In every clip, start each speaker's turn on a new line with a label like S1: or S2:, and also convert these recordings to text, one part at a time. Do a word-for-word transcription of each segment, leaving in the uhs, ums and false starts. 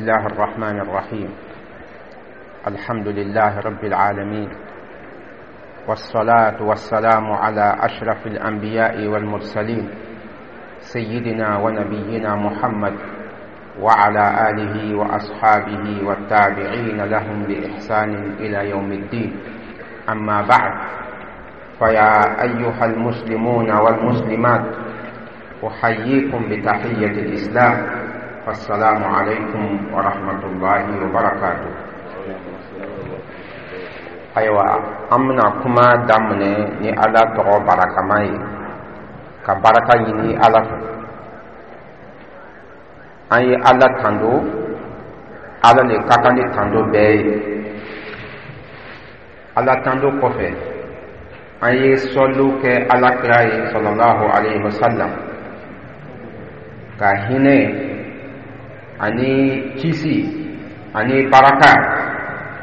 S1: الله الرحمن الرحيم. الحمد لله رب العالمين، والصلاة والسلام على أشرف الأنبياء والمرسلين، سيدنا ونبينا محمد وعلى آله وأصحابه والتابعين لهم بإحسان إلى يوم الدين. أما بعد، فيا أيها المسلمون والمسلمات، أحييكم بتحية الإسلام، فالسلام عليكم ورحمة الله وبركاته. Ayiwa, an bɛna kuma daminɛ ni Ala tɔgɔ barakama ye, ka baraka ɲini Ala fɛ. An ye Ala tando, Ala le ka kan ni tando bɛɛ ye. Ala tando kɔfɛ, an ye sɔliw kɛ Ala kira ye sallallahu alaihi wasallam, ka hinɛ ani kisi ani baraka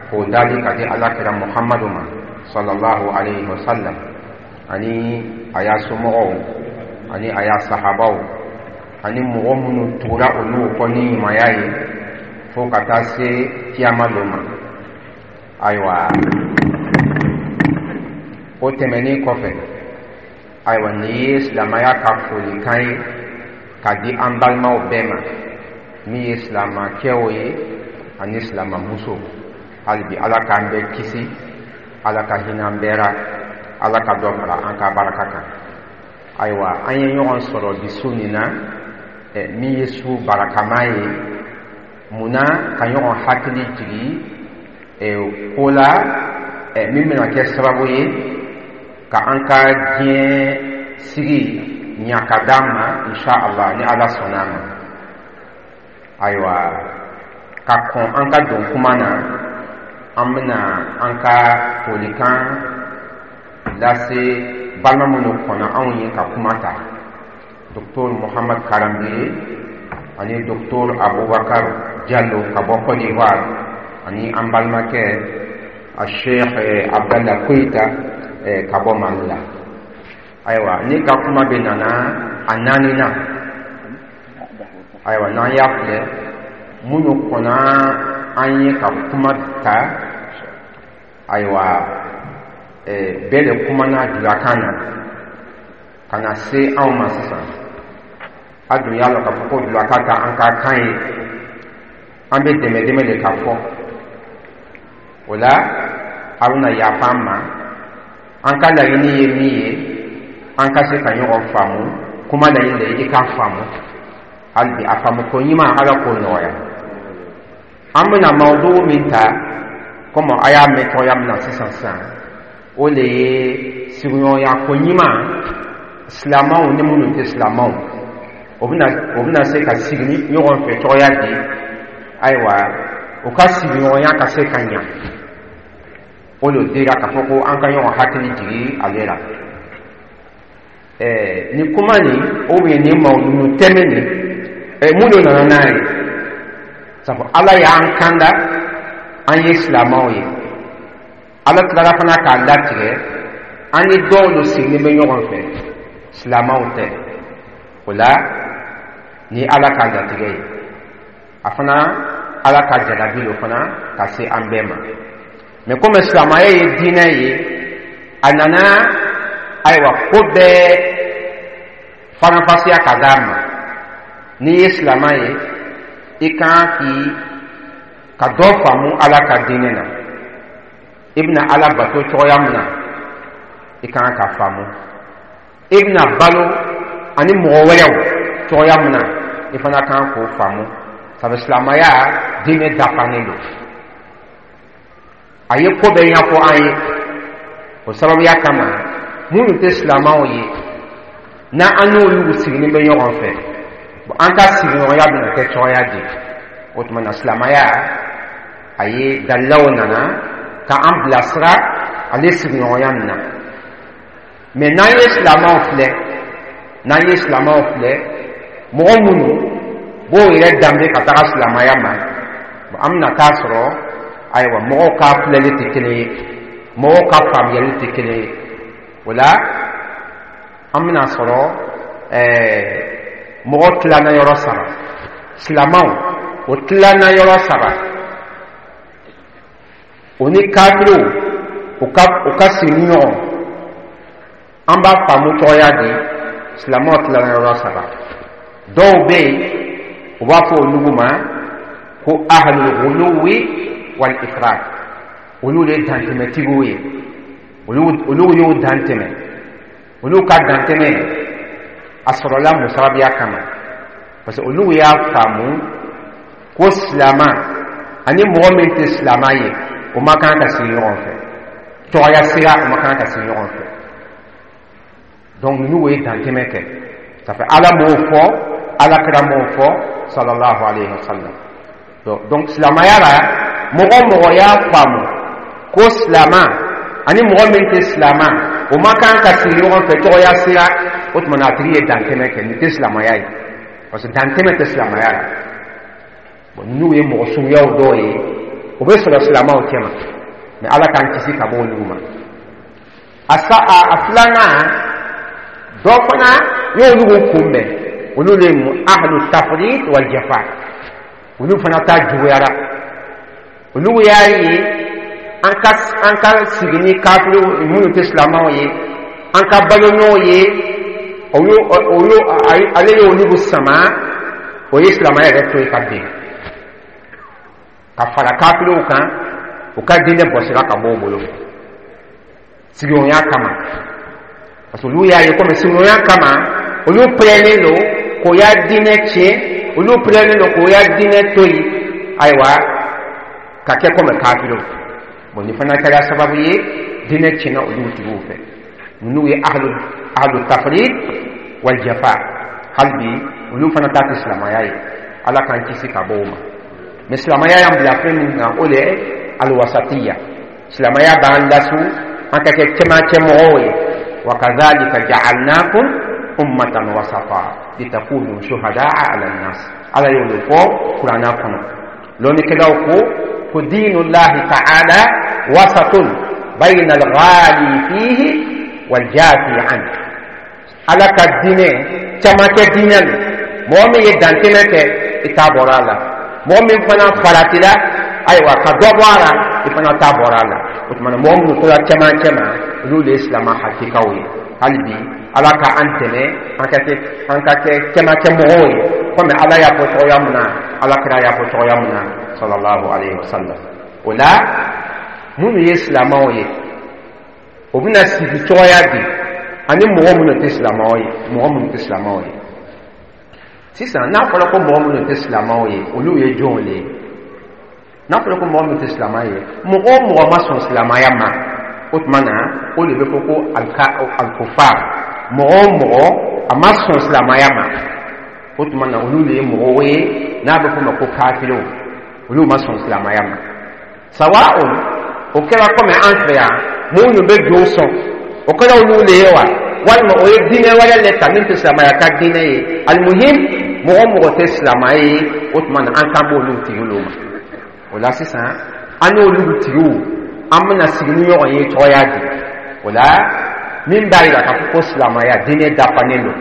S1: k'o dali ka di Ala kira Muhammadu ma sallallahu alaihi wasallam, ani a y'a somɔgɔw, ani a y'a sahabaw, ani mɔgɔ minnu tugura olu kɔ ni ɲumanya ye fo ka taa se kiyama dɔ ma. Ayiwa, o tɛmɛnen kɔfɛ, ayiwa, nin ye silamɛya ka folikan ye ka di an balimaw bɛɛ ma, min ye silamakɛw ye ani silamamuso. Hali bi, Ala k'an bɛɛ kisi, Ala ka hinɛ an bɛɛ ra, Ala ka dɔ fara an ka baraka kan. Ayiwa, an ye ɲɔgɔn sɔrɔ bi su nin na, min ye su barakama ye. Munna ka ɲɔgɔn hakili jigi ko la min bɛna kɛ sababu ye ka an ka diɲɛ sigi ɲa ka d'an ma, insha Allah, ni Ala sɔnna a ma? Ayiwa, ka kɔn an ka don kuma na, an bɛna an ka folikan lase balima minnu kɔnɔ anw ye ka kuma ta, Docteur Muhammad Karambiri ani Docteur Abubakar Jalo ka bɔ Côte d'Ivoire, ani an balimakɛ a Sheikh Abdallah Koyita ka bɔ Mali la. Ayiwa, ne ka kuma bɛ nana a naani na. Ayiwa, n'an y'a filɛ, minnu kɔnna an ye ka kuma ta, ayiwa, bɛɛ de kumana julakan na ka na se anw ma sisan. A dun y'a lɔn k'a fɔ ko julakan ta an ka kan ye, an bɛ dɛmɛ dɛmɛ de ka fɔ o la. A bɛna yafa an ma. An ka laɲini ye min ye, an ka se ka ɲɔgɔn faamu. Kuma laɲini de ye i k'a faamu. Hali bi, a faamu ko ɲuman, Ala k'o nɔgɔya. An bɛna mawudu min ta, komi a y'a mɛn cogoya min na sisan sisan, o de ye sigiɲɔgɔnya ko ɲuman, silamɛw ni minnu tɛ silamɛw, o bɛna o bɛna se ka sigi ɲɔgɔn fɛ cogoya di. Ayiwa, u ka sigiɲɔgɔnya ka se ka ɲa, o de dira k'a fɔ ko an ka ɲɔgɔn hakili jigi ale la. Ɛɛ nin kuma nin, ou bien nin mawudu tɛmɛ nin, ɛɛ mun de nana n'a ye? Sabu Ala y'an kanda, an ye silamɛw ye. Ala tilara fana k'a latigɛ, an ni dɔw de sigilen bɛ ɲɔgɔn fɛ, silamɛw tɛ. O la, ni Ala ka latigɛ ye, a fana Ala ka jarabi lo fana ka se an bɛɛ ma. Mɛ komi silamɛya ye diinɛ ye, a nana, ayiwa, ko bɛɛ faranfasiya ka d'a ma. N'i ye silamɛ ye, i kan k'i ka dɔ faamu Ala ka diinɛ na. I bɛna Ala bato cogoya min na, i kan ka faamu. I bɛna balo ani mɔgɔ wɛrɛw cogoya min na, i fana kan k'o faamu. Sabu silamɛya diinɛ dafanen don, a ye ko bɛɛ ɲɛfɔ an ye. O sababuya kama, minnu tɛ silamɛw ye, n'an n'olu sigilen bɛ ɲɔgɔn fɛ, an ka sigiɲɔgɔnya bɛna kɛ cogoya di? O tuma na, silamɛya a ye dalilaw nana ka an bilasira ale sigiɲɔgɔnya nin na. Mɛ n'an ye silamɛw filɛ n'an ye silamɛw filɛ, mɔgɔ minnu b'o yɛrɛ danbe ka taga silamɛya ma, an bɛna taa sɔrɔ, ayiwa, mɔgɔw ka filɛli tɛ kelen ye, mɔgɔw ka faamuyali tɛ kelen ye. O la, an bɛna sɔrɔ ɛɛ mɔgɔ tilanna yɔrɔ saba: silamɛw O tilanna yɔrɔ saba. O ni kafiriw o ka o ka sigi ni ɲɔgɔn, an b'a faamu cogoya di? Silamɛw tilanna yɔrɔ saba. Dɔw bɛ yen, u b'a fɔ olu ma ko ahlul ghuluwi wal ifrat. Olu de ye dantɛmɛtigiw ye. olu olu y'o dantɛmɛ. Olu ka dantɛmɛ a sɔrɔla musababiya kama, parce que olu y'a faamu ko silama ani mɔgɔ min tɛ silama ye, o ma kan ka sigi ɲɔgɔn fɛ tɔgɔya sira, o ma kan ka sigi ɲɔgɔn fɛ. Donc ninnu ye dantɛmɛ kɛ. Ça fait Ala m'o fɔ, Ala kira m'o fɔ, sallallahu alayhi wa sallam. Donc silamaya la, mɔgɔ mɔgɔ y'a faamu ko silama ani mɔgɔ min tɛ silama, o ma kan ka sigi ɲɔgɔn fɛ tɔgɔya sira, o tuma na a tigi ye dantɛmɛ kɛ. Nin tɛ silamaya ye, parce que dantɛmɛ tɛ silamaya la. Bon, ninnu ye mɔgɔ suguyaw dɔw ye, o bɛ sɔrɔ silamaw cɛma, mais Ala k'an kisi ka bɔ olu ma. A sa a a filanan dɔ fana y'olu kunbɛn, olu de ye mu ahlu tafrit wal jafa. Olu fana ta juguyara. Olu y'a ye an ka an ka sigi ni kafiriw minnu tɛ silamɛw ye, an ka balo n'o ye, olu olu ale ye olu sama, o ye silamɛya yɛrɛ to yen ka bin ka fara kafiriw kan. U ka diinɛ bɔsira ka bɔ u bolo sigiɲɔgɔnya kama, parce que olu y'a ye komi sigiɲɔgɔnya kama, olu pɛrɛnnen don k'o y'a diinɛ tiɲɛ, olu pɛrɛnnen don k'o y'a diinɛ to yen, ayiwa, ka kɛ komi kafiriw. Bon, nin fana kɛra sababu ye diinɛ tiɲɛna olu tigiw fɛ. Ninnu ye ahlu ahlu tafrid wal jafa. Hali bi olu fana ta tɛ silamɛya ye. Ala k'an kisi ka bɔ o ma. Mais silamɛya y'an bila fɛn min kan, o de ye alwasatiya. Silamɛya b'an lasu an ka kɛ cɛmancɛ mɔgɔw ye. Wa kadhalika ja'alnakum ummatan wasata litakunu shuhada'a 'ala an-nas. Ala y'o de fɔ Kuranna kɔnɔ. Lɔnnikɛlaw ko ko dinullahi ta'ala wasatun bayna al-ghali fihi wal jafi an. Ala ka diinɛ camancɛ diinɛ don. Mɔgɔ min ye dantɛmɛ kɛ, i t'a bɔra a la. Mɔgɔ min fana faratila, ayiwa, ka dɔ bɔ a la, i fana t'a bɔra a la. O tuma na, mɔgɔ minnu tora cɛmancɛ ma, olu de ye silama hakikaw ye. Hali bi Ala ka an dɛmɛ an ka kɛ an ka kɛ cɛmancɛ mɔgɔw ye, komi Ala y'a fɔ cogoya min na, Ala kira y'a fɔ cogoya min na, sallallahu alayhi wa sallam. O la, minnu ye silamɛw ye, o bɛna sigi cogoya di ani mɔgɔ minnu tɛ silamɛw ye? Mɔgɔ minnu tɛ silamɛw ye sisan, n'a fɔra ko mɔgɔ minnu tɛ silamɛw ye, olu ye jɔnw de ye? N'a fɔra ko mɔgɔ minnu tɛ silamɛ ye, mɔgɔ o mɔgɔ ma sɔn silamɛya ma, o tuma na o de bɛ fɔ ko alikofar. Mɔgɔ o mɔgɔ a ma sɔn silamɛya ma, o tuma na olu de ye mɔgɔw ye n'a bɛ f'o ma ko kafiriw. Olu ma sɔn silamɛya ma. Sawa'un o kɛra komi an fɛ yan, minnu bɛ jo sɔn, o kɛra olu de ye wa, walima o ye diinɛ wɛrɛ le ta min tɛ silamɛya ka diinɛ ye. Alimuhim, mɔgɔ mɔgɔ tɛ silamɛ ye, o tuma na an kan b'olu tigiw ma. O la sisan, an n'olu tigiw, an bɛna sigi ni ɲɔgɔn ye cogoya di? O la, min b'a yira k'a fɔ ko silamɛya diinɛ dafanen don,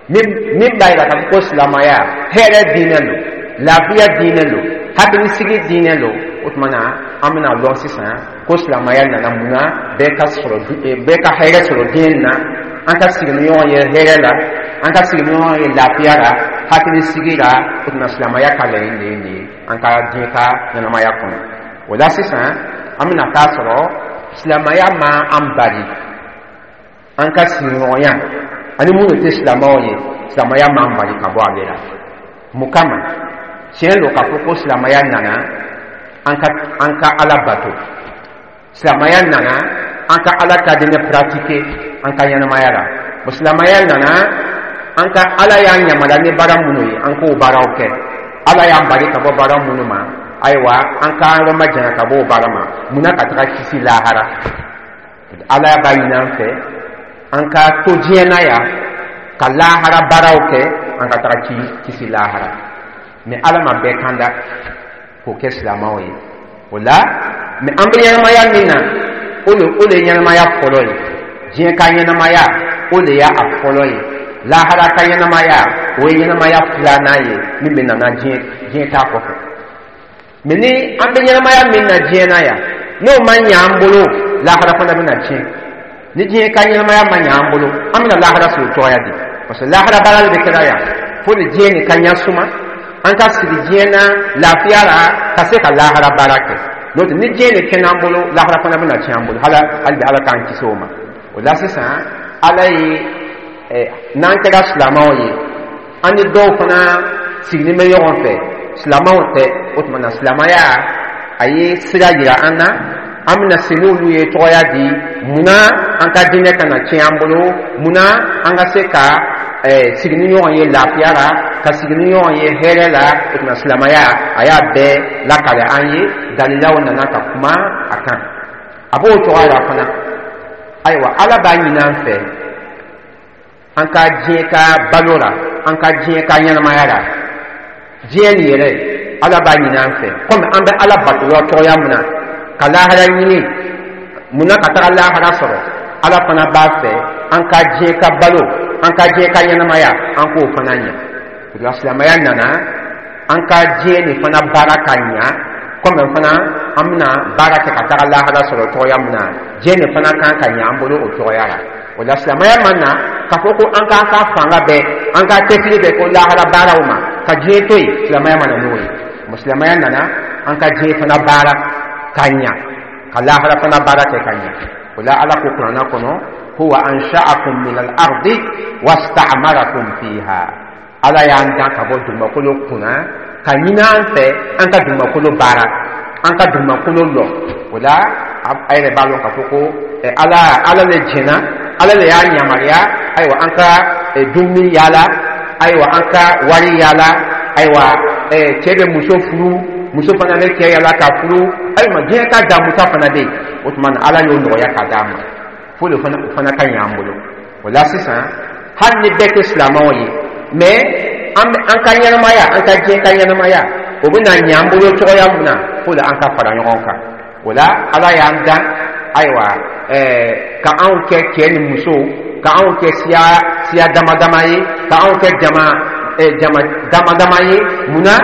S1: min min b'a yira k'a fɔ ko silamɛya hɛrɛ diinɛ don, lafiya diinɛ don, hakilisigi diinɛ don, o tuma na an bɛna lɔn sisan ko silamɛya nana mun na? Bɛɛ ka sɔrɔ, bɛɛ ka hɛrɛ sɔrɔ diɲɛ na, an ka sigi ni ɲɔgɔn ye hɛrɛ la, an ka sigi ni ɲɔgɔn ye lafiya la, hakilisigi la. O tuma, silamɛya ka laɲini de ye nin ye an ka diɲɛ ka ɲɛnamaya kɔnɔ. O la sisan, an bɛna taa sɔrɔ silamɛya ma an bali an ka sigiɲɔgɔnya ani minnu tɛ silamɛw ye. Silamɛya m'an bali ka bɔ ale la. Mun kama? Tiɲɛ don k'a fɔ ko silamɛya nana an ka an ka Ala bato, silamɛya nana an ka Ala ka diinɛ pratiquer an ka ɲɛnamaya la. Bon, silamɛya nana an ka, Ala y'an yamaruya ni baara minnu ye, an k'o baaraw kɛ. Ala y'an bali ka bɔ baara minnu ma, ayiwa, an k'an yɔrɔ majanya ka bɔ o baara ma. Munna? Ka taga kisi lahara. Ala b'a ɲini an fɛ an ka to diɲɛ na yan ka lahara baaraw kɛ, an ka taga kisi lahara. Mais Ala ma bɛɛ kan da k'o kɛ silamɛw ye. O la, mais an bɛ ɲɛnamaya min na, o de o de ye ɲɛnamaya fɔlɔ ye. Diɲɛ ka ɲɛnamaya, o de y'a fɔlɔ ye. Lahara ka ɲɛnamaya, O ye ɲɛnamaya filanan ye min bɛ nana diɲɛ diɲɛ ta kɔfɛ. Mɛ ni an bɛ ɲɛnamaya min na diɲɛ na yan, n'o ma ɲɛ an bolo, lahara fana bɛna tiɲɛ. Ni diɲɛ ka ɲɛnamaya ma ɲɛ an bolo, an bɛna lahara sɔrɔ cogoya di? Parce que lahara baara de bɛ kɛra yan fo de diɲɛ nin ka ɲɛ suma, an ka sigi diɲɛ na lafiya la ka se ka lahara baara kɛ. N'o tɛ, ni diɲɛ nin kɛnɛ an bolo, lahara fana bɛna tiɲɛ an bolo. Hala hali bi, Ala k'an kisi o ma. O la sisan, Ala ye ɛ n'an kɛra silamɛw ye, an ni dɔw fana sigilen bɛ ɲɔgɔn fɛ, silamɛw tɛ. O tuma na, silamɛya a ye sira yira an na, an bɛna se n'olu ye tɔgɔya di. Munna an ka diinɛ kana tiɲɛ an bolo? Munna an ka se ka ɛɛ sigi ni ɲɔgɔn ye lafiya la, ka sigi ni ɲɔgɔn ye hɛrɛ la? O tuma, silamɛya a y'a bɛɛ lakale an ye, dalilaw nana ka kuma a kan. A b'o cogoya la fana. Ayiwa, Ala b'a ɲini an fɛ, an ka diɲɛ ka balo la, an ka diɲɛ ka ɲɛnamaya la, diɲɛ nin yɛrɛ, Ala b'a ɲini an fɛ, komi an bɛ Ala bato cogoya min na ka lahara ɲini, munna ka taga lahara sɔrɔ, Ala fana b'a fɛ an ka diɲɛ ka balo, an ka diɲɛ ka ɲɛnamaya, an k'o fana ɲɛ. O la, silamɛya nana an ka diɲɛ nin fana baara ka ɲa, komi fana an bɛna baara kɛ ka taga lahara sɔrɔ cogoya min na, diɲɛ nin fana kan ka ɲɛ an bolo o cogoya la. O la, silamɛya ma na k'a fɔ ko an k'an ka fanga bɛɛ, an ka cɛsiri bɛɛ ko lahara baaraw ma, ka diɲɛ to yen. Silamɛya ma na n'o ye. Silamɛya nana an ka diɲɛ fana baara ka ɲa, ka lahara fana baara kɛ ka ɲa. O la, Ala ko Kuranna kɔnɔ: "Huwa ansha'akum min al-ardi wasta'marakum fiha." Ala y'an dan ka bɔ dugumakolo kunna ka ɲini an fɛ an ka dugumakolo baara, an ka dugumakolo lɔ. O la, a yɛrɛ b'a dɔn k'a fɔ ko ala ala le jɛnna, Ala le y'a yamaruya. Ayiwa, an ka dumuni yaala, ayiwa, an ka wari yaala, ayiwa, cɛ bɛ muso furu, muso fana bɛ cɛ yaala ka furu. Ayiwa, diɲɛ ka damuta fana bɛ yen. O tuma na, Ala y'o nɔgɔya ka d'a ma fo de fana, o fana ka ɲɛ an bolo. O la sisan, hali ni bɛɛ tɛ silamɛw ye, mɛ an an ka ɲɛnamaya, an ka diɲɛ ka ɲɛnamaya, o bɛna ɲɛ an bolo cogoya min na, fo de an ka fara ɲɔgɔn kan. O la, Ala y'an dan, ayiwa, ɛɛ ka anw kɛ cɛ ni muso, ka anw kɛ siya siya dama dama ye, ka anw kɛ jama ɛɛ jama dama dama ye. Munna?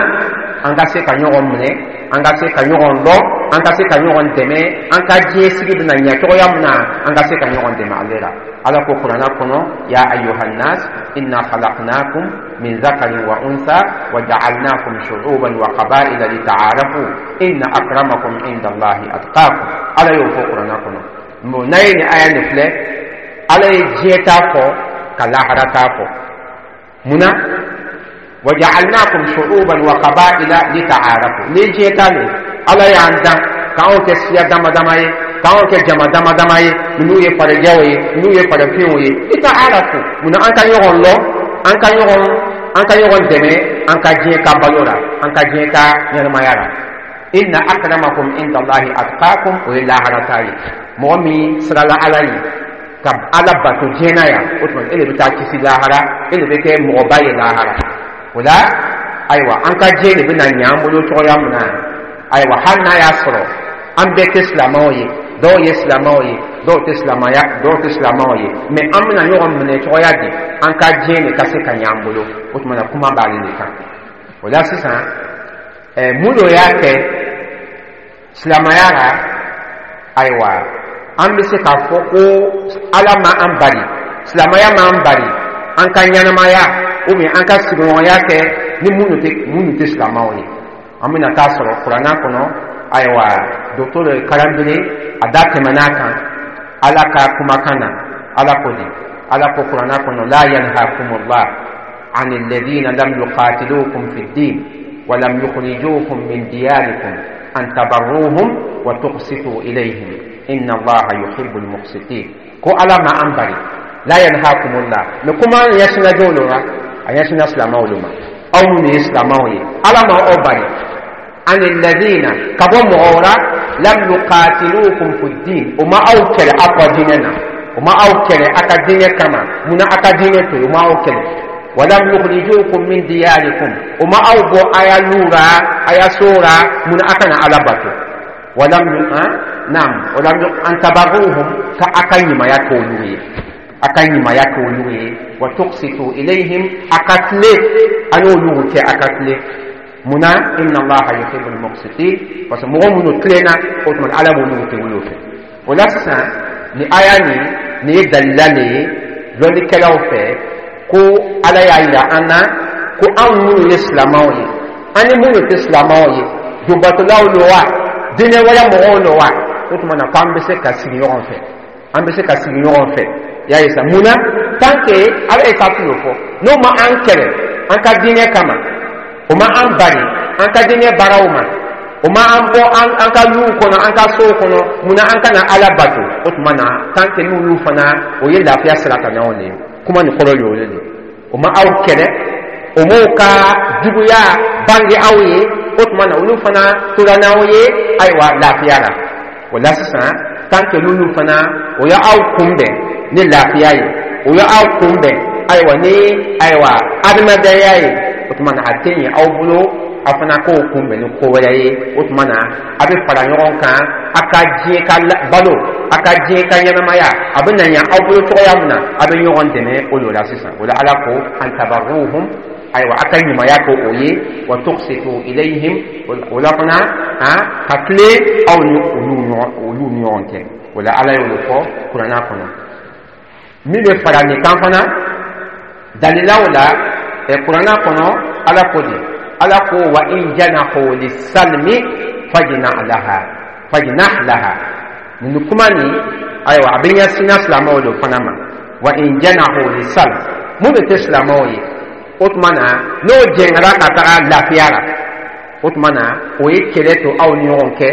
S1: An ka se ka ɲɔgɔn minɛ, an ka se ka ɲɔgɔn lɔ, an ka se ka ɲɔgɔn dɛmɛ, an ka diɲɛ sigi bɛna ɲɛ cogoya min na, an ka se ka ɲɔgɔn dɛmɛ ale la. Ala ko Kuranna kɔnɔ: "Ya ayyuhannas inna khalaqnakum min zakarin wa unsa wa ja'alnakum shu'uban wa qaba'ila lita'arafu inna akramakum inda Allahi atqakum." Ala y'o fɔ Kuranna kɔnɔ. Bon, n'a ye nin aya nin filɛ, Ala ye diɲɛ ta fɔ ka lahara ta fɔ. Munna? "Waja'alnakum shu'uban wa qaba'ila lita'arafu." Ni diɲɛ ta nin, Ala y'an dan k'anw kɛ siya dama dama ye, k'anw kɛ jama dama dama ye, ninnu ye farajɛw ye, ninnu ye farafinw ye. "Lita'arafu", munna? An ka ɲɔgɔn lɔ, an ka ɲɔgɔn an ka ɲɔgɔn dɛmɛ an ka diɲɛ ka balo la, an ka diɲɛ ka ɲɛnamaya la. "Inna akramakum inda Allahi atqakum", o ye lahara ta ye. Mɔgɔ min sirala Ala ye ka Ala bato diɲɛ na yan, o tuma e de bɛ taa kisi lahara, e de bɛ kɛ mɔgɔba ye lahara. O la, ayiwa, an ka diɲɛ de bɛna ɲɛ an bolo cogoya min na, ayiwa, hali n'a y'a sɔrɔ an bɛɛ tɛ silamɛw ye, dɔw ye silamɛw ye, dɔw tɛ silamɛya, dɔw tɛ silamɛw ye, mɛ an bɛna ɲɔgɔn minɛ cogoya di an ka diɲɛ de ka se ka ɲɛ an bolo? O tuma na, kuma b'ale de kan. O la sisan, ɛɛ mun dɔ y'a kɛ silamɛya la? Ayiwa, an bɛ se k'a fɔ ko Ala ma an bali, silamɛya ma an bali an ka ɲɛnamaya ou bien an ka sigiɲɔgɔnya kɛ ni minnu tɛ minnu tɛ silamɛw ye. An bɛna taa sɔrɔ Kuranna kɔnɔ. Ayiwa, docteur Karanbele a da tɛmɛn'a kan. Ala ka kumakan na, Ala ko di? Ala ko Kuranna kɔnɔ: "La yanhakumullah عن الذين لم يقاتلوكم في الدين ولم يخرجوكم من دياركم أن تبروهم وتقسطوا إليهم إن الله يحب المقسطين." Ko Ala ma an bari. "La yanhakumullah", mais kuma ɲɛsinna jɔn ma? A ɲɛsinna silamɛw de ma. Aw minnu ye silamɛw ye, Ala ma aw bari "an alladhina", ka bɔ mɔgɔw la, "lam yuqatilukum fi ddin", o ma aw kɛlɛ aw ka diinɛ na, o ma aw kɛlɛ aw ka diinɛ kama. Munna aw ka diinɛ to yen? O ma aw kɛlɛ. "Walam yukhrijukum min diyarikum", o ma aw bɔ a ya lu ra, a ya so ra. Munna aw kana Ala bato? Walam, naam, walam, "an tabarruhum", ka aw ka ɲumanya k'olu ye. A ka ɲumanya kɛ olu ye. Wa tuqsitu ilayhim, a ka tilen a n'olu cɛ, a ka tilen. Munna? Inna Allaha yuhibbul muqsitin, parce que mɔgɔ minnu tilenna, o tuma Ala b'olu kɛ olu fɛ. O la sisan, ni aya nin, nin ye dalila le ye lɔnnikɛlaw fɛ ko Ala y'a yira an na ko anw minnu ye silamɛw ye, an ni minnu tɛ silamɛw ye, jobatolaw lo wa, diinɛ wɛrɛ mɔgɔw lo wa, o tuma na k'an bɛ se ka sigi ɲɔgɔn fɛ, an bɛ se ka sigi ɲɔgɔn fɛ. Y'a ye sa, mun na? Tant que Ala ye kafiri o fɔ, n'o ma an kɛlɛ an ka diinɛ kama, o ma an bari an ka diinɛ baaraw ma, o ma an bɔ an an ka luw kɔnɔ, an ka sow kɔnɔ, mun na an kana Ala bato? O tuma na, tant que n'olu fana o ye lafiya sira kan ɲɔgɔn de ye. Kuma nin kɔrɔ ye o de ye. O ma aw kɛlɛ, o m'o ka juguya bange aw ye, o tuma na olu fana tora n'aw ye, ayiwa, lafiya la. O la sisan, tant que n'olu fana o ye aw kunbɛn ni lafiya ye, o ye aw kunbɛn, ayiwa, ni, ayiwa, adamadenya ye, o tuma na a tɛ ɲɛ aw bolo aw fana k'o kunbɛn ni ko wɛrɛ ye. O tuma na a bɛ fara ɲɔgɔn kan, a ka diɲɛ ka balo, a ka diɲɛ ka ɲɛnamaya, a bɛ na ɲɛ aw bolo cogoya min na, a bɛ ɲɔgɔn dɛmɛ o de la sisan. O la Ala ko an tabarruhum, ayiwa, a ka ɲumanya kɛ o ye. Wa tuqsitu ilayhim, o la fana ka tilen aw ni olu ɲɔgɔn olu ni ɲɔgɔn cɛ. O la Ala y'o de fɔ kuranna kɔnɔ. Min bɛ fara nin kan fana dalilaw la ɛ kuranna kɔnɔ, Ala ko de, Ala ko: wa in janahu lisalmi fajnah laha, fajnah laha. Nin kuma nin, ayiwa, a bɛ ɲɛsin silamɛw de fana ma. Wa in janahu lisalm, mun de tɛ silamɛw ye, o tuma na n'o jɛngɛra ka taga lafiya la, o tuma na o ye kɛlɛ to aw ni ɲɔgɔn cɛ,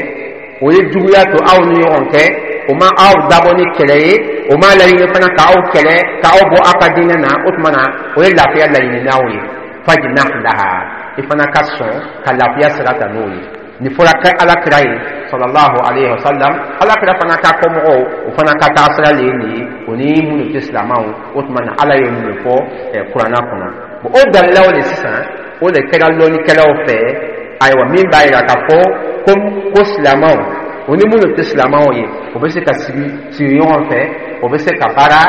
S1: o ye juguya to aw ni ɲɔgɔn cɛ, o ma aw dabɔ ni kɛlɛ ye, o ma laɲini fana k'aw kɛlɛ, k'aw bɔ aw ka diinɛ na, o tuma na o ye lafiya laɲini n'aw ye. Fajnah laha, i fana ka sɔn ka lafiya sira ta n'o ye. Nin fɔra kɛ Ala kira ye sallallahu alayhi wa sallam, Ala kira fana ka kɔmɔgɔw, o fana ka taa sira le ye nin ye, o ni minnu tɛ silamɛw. O tuma na Ala ye mun de fɔ kuranna kɔnɔ? Bon, o dalilaw de sisan, o de kɛra lɔnnikɛlaw fɛ, ayiwa, min b'a yira k'a fɔ ko ko silamɛw, o ni minnu tɛ silamɛw ye, o bɛ se ka sigi sigi ɲɔgɔn fɛ, o bɛ se ka baara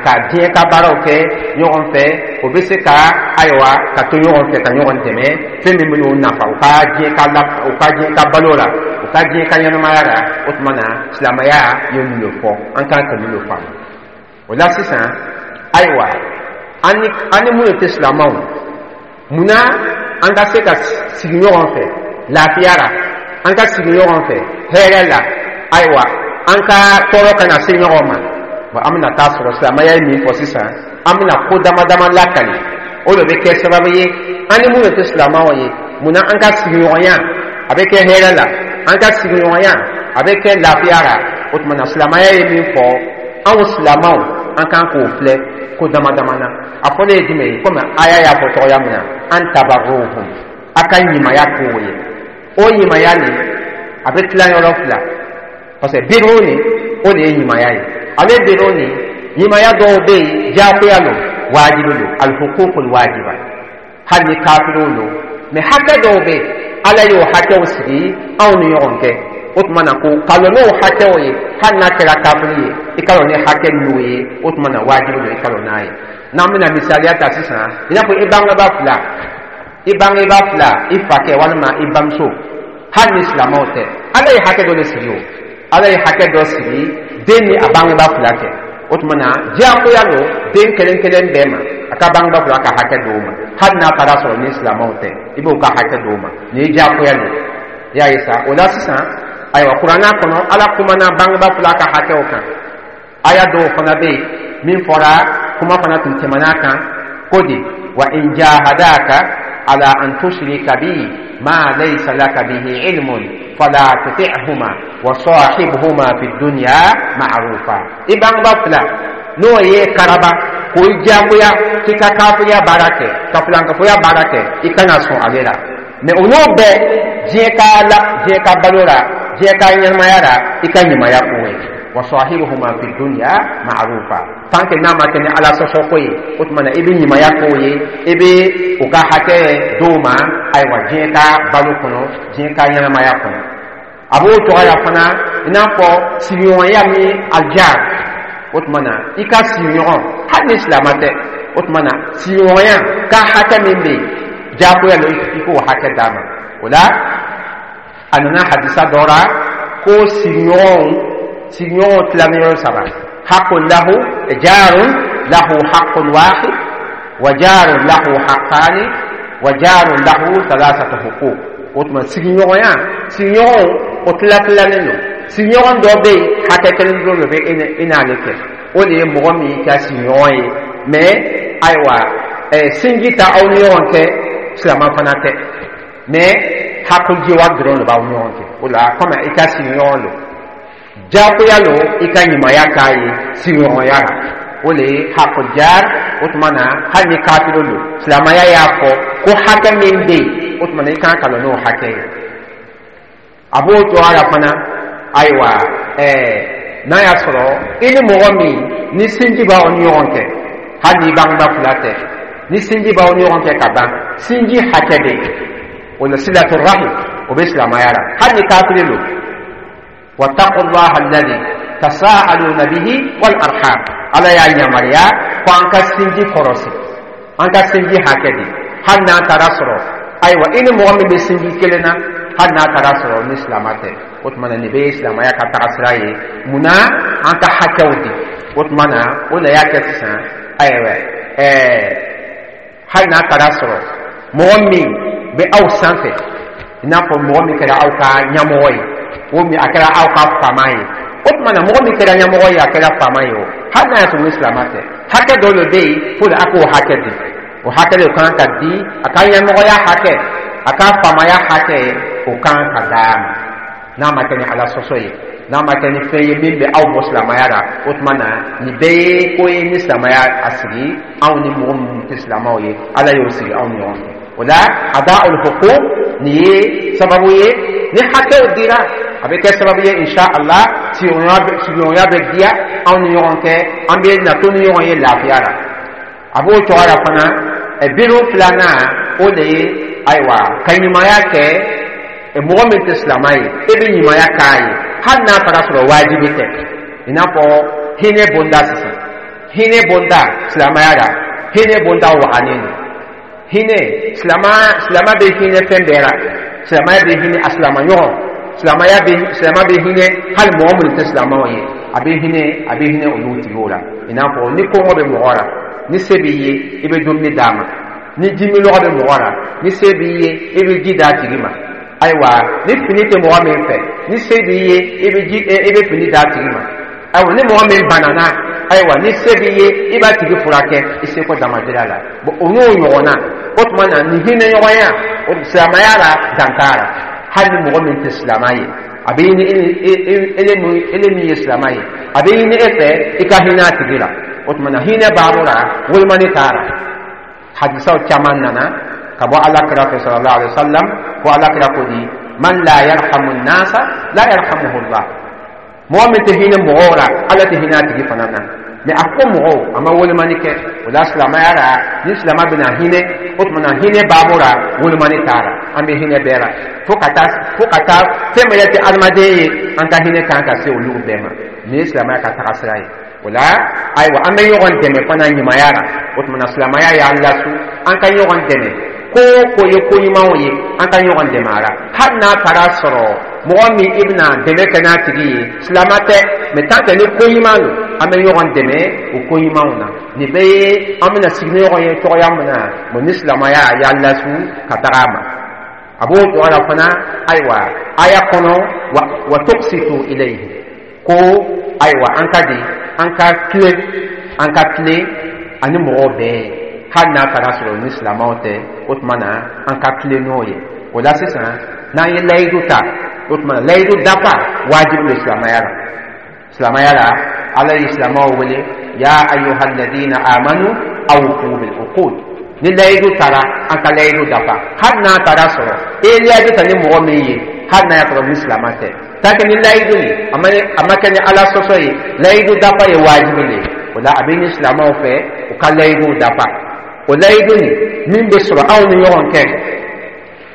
S1: ka diɲɛ ka baaraw kɛ ɲɔgɔn fɛ, o bɛ se ka, ayiwa, ka to ɲɔgɔn fɛ, ka ɲɔgɔn dɛmɛ fɛn min bɛ nafa u ka diɲɛ ka la, u ka diɲɛ ka balo la, u ka diɲɛ ka ɲɛnamaya la. O tuma na silamɛya ye mun de fɔ? An kan ka mun de faamu o la sisan? Ayiwa, an ni an ni minnu tɛ silamɛw, munna an ka se ka sigi ɲɔgɔn fɛ lafiya la, an ka sigi ɲɔgɔn fɛ hɛrɛ la, ayiwa, an ka tɔɔrɔ kana se ɲɔgɔn ma? Bon, an bɛna taa sɔrɔ silamɛya ye min fɔ sisan, an bɛna ko dama dama lakali, o de bɛ kɛ sababu ye an ni minnu tɛ silamɛw ye, munna an ka sigiɲɔgɔnya a bɛ kɛ hɛrɛ la, an ka sigiɲɔgɔnya a bɛ kɛ lafiya la. O tuma na silamɛya ye min fɔ, anw silamɛw, an kan k'o filɛ ko dama dama na. A fɔlen ye jumɛn ye? Komi aya y'a fɔ cogoya min na, an tabarruhum, a ka ɲumanya k'o ye. O ɲumanya nin, a bɛ tila yɔrɔ fila, parce que birru nin, o de ye ɲumanya ye. Ale birru nin, ɲumanya dɔw bɛ yen, diyagoya lo, wajibi lo, alhukukul wajiba, hali ni kafiriw lo. Mais hakɛ dɔw bɛ yen, Ala y'o hakɛw sigi anw ni ɲɔgɔn cɛ. O tuma na ko ka lɔ n'o hakɛw ye, hali n'a kɛra kafiri ye, i ka lɔ ni hakɛ ninnu ye, o tuma na wajibi don i ka lɔ n'a ye. N'an bɛna misaliya ta sisan, i n'a fɔ i bangebaa fila, i bangebaa fila, i fakɛ walima i bamuso, hali ni silamɛw tɛ, Ala ye hakɛ dɔ de sigi. O Ala ye hakɛ dɔ sigi den ni a bangebaa fila cɛ. O tuma na diyagoya don den kelen kelen bɛɛ ma, a ka bangebaa fila ka hakɛ d'o ma, hali n'a taara sɔrɔ ni silamɛw tɛ, i b'o ka hakɛ d'o ma. Nin ye diyagoya don, i y'a ye sa. O la sisan, ayiwa, kuranna kɔnɔ, Ala kumana bangebaa fila ka hakɛw kan. Aya dɔw fana bɛ yen min fɔra, kuma fana tun tɛmɛna kan ko di: wa in jahadaka ala an tushrika bi ma laysa laka bihi ilmun fala tuti'huma wa sahibhuma fi dunya ma'rufa. I bangebaa fila, n'o ye karaba k'o i diyagoya k'i ka kafiriya baara kɛ, ka filankafoya baara kɛ, i kana sɔn ale la. Mais o n'o bɛɛ, diɲɛ ka la, diɲɛ ka balo la, diɲɛ ka ɲɛnamaya la, i ka ɲumanya k'o ye. Wa sahibuhuma fi dunya ma'rufa, tant que n'a ma kɛ ni Ala sɔsɔ ko ye, o tuma na i bɛ ɲumanya k'o ye, i bɛ u ka hakɛ d'o ma, ayiwa, diɲɛ ka balo kɔnɔ, diɲɛ ka ɲɛnamaya kɔnɔ. A b'o cogoya fana, i n'a fɔ sigiɲɔgɔnya min, aljar. O tuma na, i ka sigiɲɔgɔn, hali ni silamɛ tɛ, o tuma na sigiɲɔgɔnya ka hakɛ min bɛ yen, diyagoya lo i k'o hakɛ d'a ma. O la, a nana hadisa dɔ la ko sigiɲɔgɔnw sigiɲɔgɔnw tilannen yɔrɔ saba: haqqun lahu jarun lahu haqqun wahid wa jarun lahu haqqani wa jarun lahu thalathatu huquq. O tuma sigiɲɔgɔnya, sigiɲɔgɔnw o tila tilalen don. Sigiɲɔgɔn dɔ bɛ yen, hakɛ kelen dɔrɔn de bɛ e n'ale kɛ, o de ye mɔgɔ min ka sigiɲɔgɔn ye, mais ayiwa, ɛɛ sinji ta aw ni ɲɔgɔn cɛ, silamɛ fana tɛ, mais hakilijiwa dɔrɔn de b'aw ni ɲɔgɔn cɛ. O la, komi i ka sigiɲɔgɔn don, diyagoya lo i ka ɲumanya k'a ye sigiɲɔgɔnya la. O de ye hakujar. O tuma na, hali ni kafiri don, silamɛya y'a fɔ ko hakɛ min bɛ yen, o tuma na i kan ka lɔ n'o hakɛ ye. A b'o cogoya la fana. Ayiwa, ɛɛ n'a y'a sɔrɔ i ni mɔgɔ min ni sinji b'aw ni ɲɔgɔn cɛ, hali ni bangebaa fila tɛ, ni sinji b'aw ni ɲɔgɔn cɛ ka ban, sinji hakɛ bɛ yen. O la, silatu rahim, o bɛ silamɛya la, hali ni kafiri don. Wattaqullaha alladhi tasaaluna bihi wal arham. Ala y'a yamaruya ko an ka sinji kɔrɔsi, an ka sinji hakɛ di, hali n'a taara sɔrɔ, ayiwa, i ni mɔgɔ min bɛ sinji kelen na, hali n'a taara sɔrɔ ni silamɛ tɛ. O tuma na, nin bɛ ye silamɛya ka taga sira ye. Munna an ka hakɛw di? O tuma na, o de y'a kɛ sisan, ayiwa, ɛɛ hali n'a taara sɔrɔ mɔgɔ min bɛ aw sanfɛ, i n'a fɔ mɔgɔ min kɛra aw ka ɲɛmɔgɔ ye, o min a kɛra aw ka faama ye, o tuma na mɔgɔ min kɛra ɲɛmɔgɔ ye, a kɛra faama ye, o hali n'a y'a sɔrɔ ni silamɛ tɛ, hakɛ dɔ de bɛ yen fo de a k'o hakɛ di. O hakɛ de kan ka di a ka ɲɛmɔgɔya hakɛ, a ka faamaya hakɛ, o kan ka d'a ma, n'a ma kɛ ni Ala sɔsɔ ye, n'a ma kɛ ni fɛn ye min bɛ aw bɔ silamɛya la. O tuma na, nin bɛɛ ye ko ye ni silamɛya a sigi anw ni mɔgɔ minnu tɛ silamɛw ye, Ala y'o sigi anw ni ɲɔgɔn cɛ. O la, ada'ul huquq, nin ye sababu ye ni hakɛw dira, a bɛ kɛ sababu ye, insha Allah, sigiɲɔgɔnya bɛ diya anw ni ɲɔgɔn cɛ, an bɛ na to ni ɲɔgɔn ye lafiya la. A b'o cogoya la fana. Biro filanan, o de ye, ayiwa, ka ɲumanya kɛ mɔgɔ min tɛ silamɛ ye, e bɛ ɲumanya k'a ye, hali n'a taara sɔrɔ wajibi tɛ. I n'a fɔ hinɛ bonda sisan, hinɛ bonda silamɛya la, hinɛ bonda waganen don. Hinɛ, silama silama bɛ hinɛ fɛn bɛɛ la. Silamɛya bɛ hinɛ a silama ɲɔgɔn, silamɛya bɛ silama bɛ hinɛ hali mɔgɔ minnu tɛ silamɛw ye, a bɛ hinɛ a bɛ hinɛ olu tigiw la. I n'a fɔ ni kɔngɔ bɛ mɔgɔ la, ni se b'i ye, i bɛ dumuni d'a ma. Ni ji minɔgɔ bɛ mɔgɔ la, ni se b'i ye, i bɛ ji d'a tigi ma. Ayiwa, ni fini tɛ mɔgɔ min fɛ, ni se b'i ye, i bɛ ji i bɛ fini d'a tigi ma. Ayiwa, ni mɔgɔ min banana, ayiwa, ni se b'i ye, i b'a tigi furakɛ i seko damadira la. Bon, o n'o ɲɔgɔnna. O tuma na, nin hinɛ ɲɔgɔnya o silamɛya la, dan t'a la. Hali ni mɔgɔ min tɛ silamɛ ye, a bɛ ɲini ele min ye silamɛ ye, a bɛ ɲini e fɛ i ka hinɛ a tigi la. O tuma na, hinɛ baabu la, wolomani t'a la. Hadisaw caman nana ka bɔ Ala kira fɛ, sallallahu alaihi wasallam, ko Ala kira ko di: man la yarhamu nasa la yarhamuhu Allah. Mɔgɔ min tɛ hinɛ mɔgɔw la, Ala tɛ hinɛ a tigi fana na. Mais a ko mɔgɔw, a ma wolomani kɛ. O la, silamɛya la, ni silamɛ bɛna hinɛ, o tuma na hinɛ baabu la, wolomani t'a la. An bɛ hinɛ bɛɛ la fo ka taa fo ka taa fɛn min yɛrɛ tɛ adamaden ye, an ka hinɛ kan ka se olu bɛɛ ma. Nin ye silamɛya ka taga sira ye. O la, ayiwa, an bɛ ɲɔgɔn dɛmɛ fana ɲumanya la. O tuma na, silamɛya y'an lasu an ka ɲɔgɔn dɛmɛ. Ko o ko ye ko ɲumanw ye, an ka ɲɔgɔn dɛmɛ a la, hali n'a taara sɔrɔ mɔgɔ min i bɛna dɛmɛ kɛ n'a tigi ye, silamɛ tɛ, mais tant que ni ko ɲuman don, an bɛ ɲɔgɔn dɛmɛ o ko ɲumanw na. Nin bɛɛ ye an bɛna sigi ni ɲɔgɔn ye cogoya min na. Bon, ni silamɛya y'an lasu ka taga a ma, a b'o cogoya la fana. Ayiwa, aya kɔnɔ, wa wa tuqsitu ilayhi, ko ayiwa, an ka di an ka tilen an ka tilen ani mɔgɔw bɛɛ ye, hali n'a taara sɔrɔ ni silamɛw tɛ. O tuma na, an ka tilen n'o ye. O la sisan, n'an ye layidu ta, o tuma na layidu dafa wajibi don silamɛya la. Silamɛya la, Ala ye silamɛw wele: ya ayyuha alladhina amanu awfu bil uqud. Ni layidu taara, an ka layidu dafa, hali n'a taara sɔrɔ e ye layidu ta ni mɔgɔ min ye, hali n'a y'a sɔrɔ ni silamɛ tɛ. Tant que ni layidu ye a ma a ma kɛ ni Ala sɔsɔ ye, layidu dafa ye wajibi de ye. O la, a bɛ ni silamɛw fɛ u ka layidu dafa. O layidu nin min bɛ sɔrɔ aw ni ɲɔgɔn cɛ,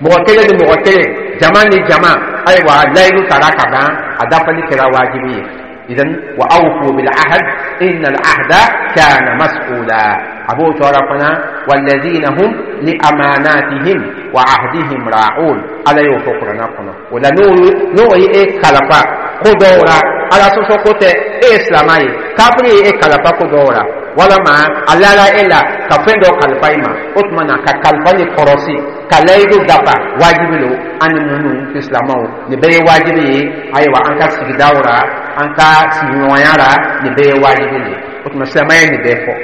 S1: mɔgɔ kelen ni mɔgɔ kelen, jama ni jama, ayiwa, layidu tara ka ban, a dafali kɛra wajibi ye. Idan wa awfu bil ahd inna al ahda kana mas'ula. A b'o cogoya fana, walladhina hum li amanatihim wa ahdihim ra'un. Ala y'o fɔ Kuranna kɔnɔ. O la, n'o n'o ye e kalifa ko dɔw la, Ala sɔsɔ ko tɛ, e ye silamɛ ye, kafiri ye e kalifa ko dɔw la, walama a lala e la ka fɛn dɔ kalifa i ma, o tuma na ka kalifa ni kɔrɔsi, ka layidu dafa, wajibi lo. An ni minnu tɛ silamɛw, nin bɛɛ ye wajibi ye. Ayiwa, an ka sigidaw la, an ka sigiɲɔgɔnya la, nin bɛɛ ye wajibi ye. O tuma, silamɛya ye nin bɛɛ fɔ.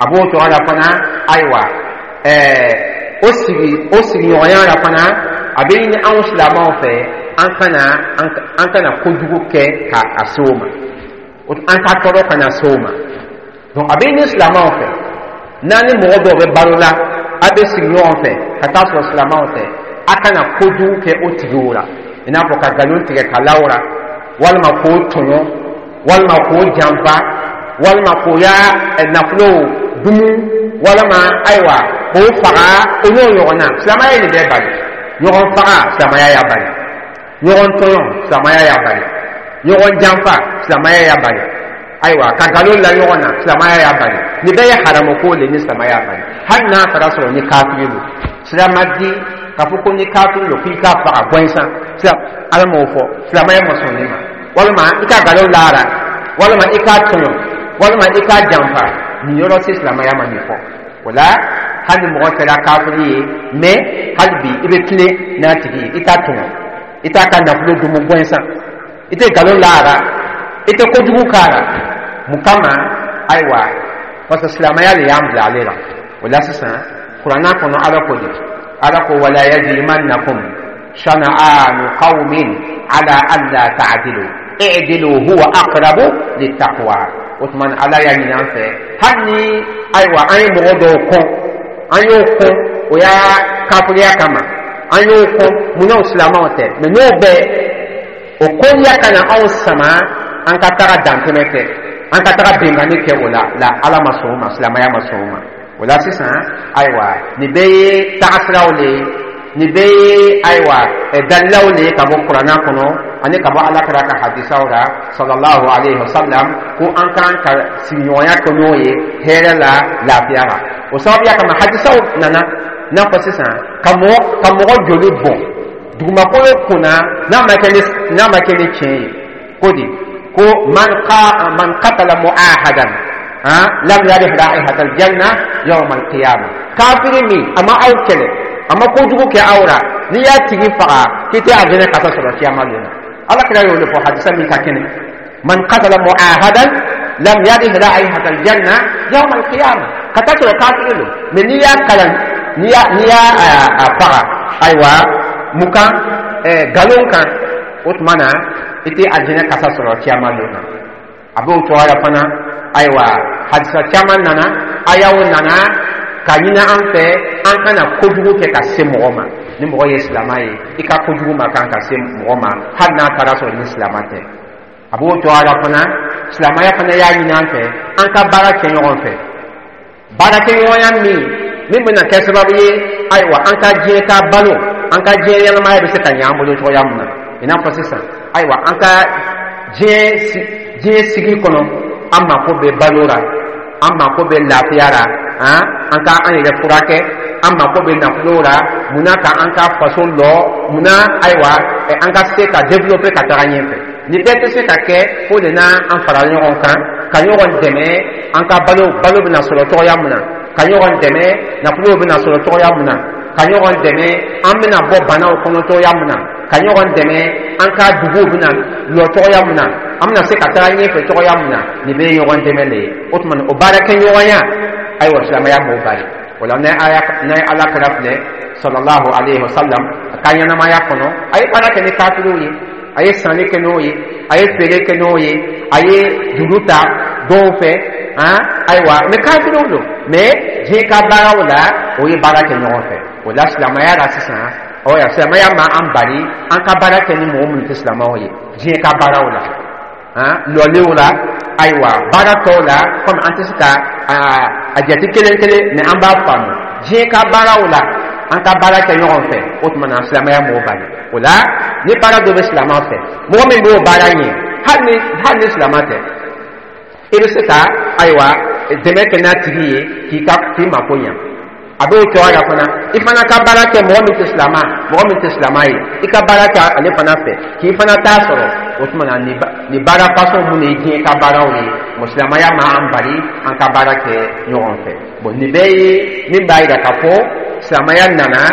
S1: A b'o cogo la fana. Ayiwa, ɛɛ o sigi o sigiɲɔgɔnya la fana, a bɛ ɲini anw silamɛw fɛ, an kana an kana kojugu kɛ ka a se o ma, an ka tɔɔrɔ kana se o ma. Donc a bɛ ɲini silamɛw fɛ, n'an ni mɔgɔ dɔw bɛ balo la, a bɛ sigi ɲɔgɔn fɛ ka taa sɔrɔ silamɛw tɛ, a kana kojugu kɛ o tigiw la, i n'a fɔ ka nkalon tigɛ ka la o la, walima k'o tɔɲɔ, walima k'o janfa, walima k'o ya nafolo dumu, walima ayiwa, k'o faga, o n'o ɲɔgɔnna. Silamɛya ye nin bɛɛ bali. Ɲɔgɔn faga, silamɛya y'a bali. Ɲɔgɔn tɔɲɔ, silamɛya y'a bali. Ɲɔgɔn janfa, silamɛya y'a bali. Ayiwa, ka nkalon la ɲɔgɔn na, silamɛya y'a bali. Nin bɛɛ ye haramu ko le ni silamɛya y'a bali, hali n'a taara sɔrɔ ni kafiri don. Sira ma di k'a fɔ ko ni kafiri don k'i k'a faga gɔnsan. Sira Ala m'o fɔ, silamɛya ma sɔn nin ma. Walima i ka nkalon lara, walima i k'a tɔɲɔ, walima i k'a janfa, nin yɔrɔ si silamɛya ma nin fɔ. O la, hali ni mɔgɔ kɛra kafiri ye, mais hali bi i bɛ tilen n'a tigi ye, i t'a tɔɲɔ, i t'a ka nafolo dumu gɔnsan, i tɛ nkalon lara, i tɛ kojugu k'a la. Mun kama? Ayiwa, parce que silamɛya de y'an bila ale la. O la sisan, Kuranna kɔnɔ, Ala ko de, Ala ko: wala yajrimannakum shana'anu qawmin ala alla ta'dilu i'dilu huwa aqrabu littaqwa. O tuma, Ala y'a ɲini an fɛ, hali ni ayiwa, an ye mɔgɔ dɔw kɔn, an y'o kɔn o y'a kafiriya kama, an y'o kɔn munna? O silamɛw tɛ, mais n'o bɛɛ o kɔniya kana anw sama an ka taga dantɛmɛ kɛ, an ka taga binkanni kɛ. O la la, Ala ma sɔn o ma, silamɛya ma sɔn o ma. O la sisan, ayiwa, nin bɛɛ ye tagasiraw le ye, nin bɛɛ ye ayiwa dalilaw le ye ka bɔ Kuranna kɔnɔ ani ka bɔ Ala kɛra ka hadisaw la sallallahu alayhi wa sallam, ko an kan ka sigiɲɔgɔnya kɛ n'o ye hɛrɛ la, lafiya la. O sababuya kama, hadisaw nana n'a fɔ sisan ka mɔgɔ ka mɔgɔ joli bɔn dugumakolo kunna n'a ma kɛ ni n'a ma kɛ ni tiɲɛ ye, ko di ko man ka man qatala mu'ahadan ha lam yarih raihata aljanna yawm alqiyama. Kafiri min a ma aw kɛlɛ, a ma kojugu kɛ aw la, n'i y'a tigi faga, k'i tɛ aljana kasa sɔrɔ kiyama don na. Ala kira y'o de fɔ hadisa min ka kɛnɛ: man qatala mu'ahadan lam yarih raihata aljanna yawm alqiyama. Ka taa sɔrɔ kafiri don, mais n'i y'a kalan, n'i y'a n'i y'a a faga, ayiwa, mun kan? Ɛɛ nkalon kan. O tuma na, i tɛ aljana kasa sɔrɔ kiyama don na. A b'o cogoya la fana. Ayiwa, hadisa caman nana, ayaw nana ka ɲini an fɛ an kana kojugu kɛ ka se mɔgɔ ma. Ni mɔgɔ ye silamɛ ye, i ka kojugu ma kan ka se mɔgɔ ma, hali n'a taara sɔrɔ ni silamɛ tɛ. A b'o cogoya la fana. Silamɛya fana y'a ɲini an fɛ an ka baara kɛ ɲɔgɔn fɛ, baarakɛɲɔgɔnya min min bɛna kɛ sababu ye, ayiwa, an ka diɲɛ ka balo, an ka diɲɛ ɲɛnamaya bɛ se ka ɲɛ an bolo cogoya min na. I n'a fɔ sisan, ayiwa, an ka diɲɛ diɲɛ sigi kɔnɔ, an mako bɛ balo la, an mako bɛ lafiya la, han, an ka an yɛrɛ furakɛ, an mako bɛ nafolo la. Munna? Ka an ka faso lɔ. Munna? Ayiwa, an ka se ka développer ka taga ɲɛfɛ. Nin bɛɛ tɛ se ka kɛ fo de n'an fara ɲɔgɔn kan ka ɲɔgɔn dɛmɛ, an ka balo balo bɛna sɔrɔ cogoya min na, ka ɲɔgɔn dɛmɛ, nafolo bɛna sɔrɔ cogoya min na, ka ɲɔgɔn dɛmɛ, an bɛna bɔ banaw kɔnɔ cogoya min na, ka ɲɔgɔn dɛmɛ, an ka duguw bɛna lɔ cogoya min na, an bɛna se ka taga ɲɛfɛ cogoya min na. Nin bɛɛ ye ɲɔgɔn dɛmɛ de ye. O tuma, o baarakɛɲɔgɔnya, ayiwa, silamɛya m'o bali. O la, n'a ye Ala kɛra filɛ sallallahu alayhi wa sallam a ka ɲɛnamaya kɔnɔ, a ye baara kɛ ni kafiriw ye, a ye sanni kɛ n'o ye, a ye feere kɛ n'o ye, a ye juru ta dɔw fɛ han. Ayiwa, mais kafiriw don, mais diɲɛ ka baaraw la, o ye baara kɛ ɲɔgɔn fɛ. O la, silamɛya la sisan, ɔ silamɛya ma an bali an ka baara kɛ ni mɔgɔ minnu tɛ silamɛw ye diɲɛ ka baaraw la, han, lɔlenw la, ayiwa, baara tɔw la. Komi an tɛ se ka a jate kelen kelen, mais an b'a faamu, diɲɛ ka baaraw la, an ka baara kɛ ɲɔgɔn fɛ. O tuma na, silamɛya m'o bali. O la, ni baara dɔ bɛ silamɛ fɛ, mɔgɔ min b'o baara ɲɛ, hali Hali ni hali ni silama tɛ, i bɛ se ka, ayiwa, dɛmɛ kɛ n'a tigi ye k'i ka k'i mako ɲa. A b'o cogoya la fana, i fana ka baara kɛ mɔgɔ min tɛ silama mɔgɔ min tɛ silama ye, i ka baara kɛ ale fana fɛ k'i fana t'a sɔrɔ. O tuma na, nin nin baara fasɔn minnu ye diɲɛ ka baaraw ye, mɔ silamɛya ma an bali an ka baara kɛ ɲɔgɔn fɛ. Bɔn, nin bɛɛ ye min b'a yira k'a fɔ silamɛya nana